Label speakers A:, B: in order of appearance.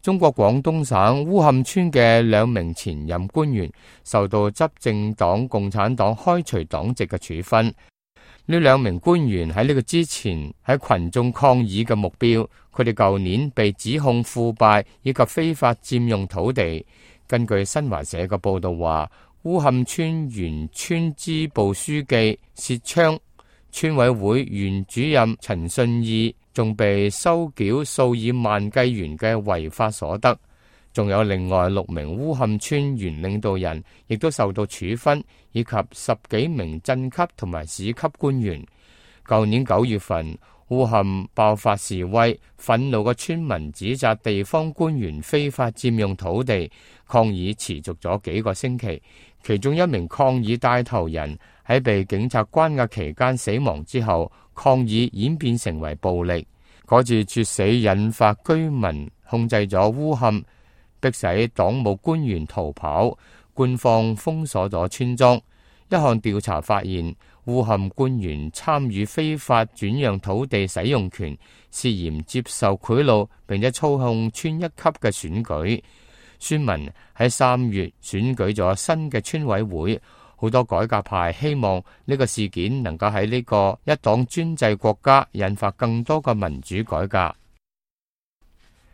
A: 中國廣東省烏坎村嘅2名前任官員受到執政黨共產黨開除黨籍嘅處分。呢2名官員喺呢個之前喺群眾抗議嘅目標，佢哋舊年被指控腐敗以及非法佔用土地。根據新華社嘅報道話，烏坎村原村支部書記薛昌、村委會原主任陳信義仲被收繳數以萬計元嘅違法所得，仲有另外6名烏坎村原領導人亦都受到處分，以及10幾名鎮級同埋市級官員。舊年9月份，烏坎爆發示威，憤怒嘅村民指責地方官員非法佔用土地，抗議持續咗幾個星期。其中1名抗議帶頭人喺被警察關押期間死亡之後，抗議演變成為暴力。嗰次猝死引發居民控制咗烏坎，迫使黨務官員逃跑，官方封鎖咗村莊。一項調查發現，烏坎官員參與非法轉讓土地使用權，涉嫌接受賄賂，並且操控村一級嘅選舉。村民喺3月選舉咗新嘅村委會，好多改革派希望呢個事件能夠喺呢個一黨專制國家引發更多嘅民主改革。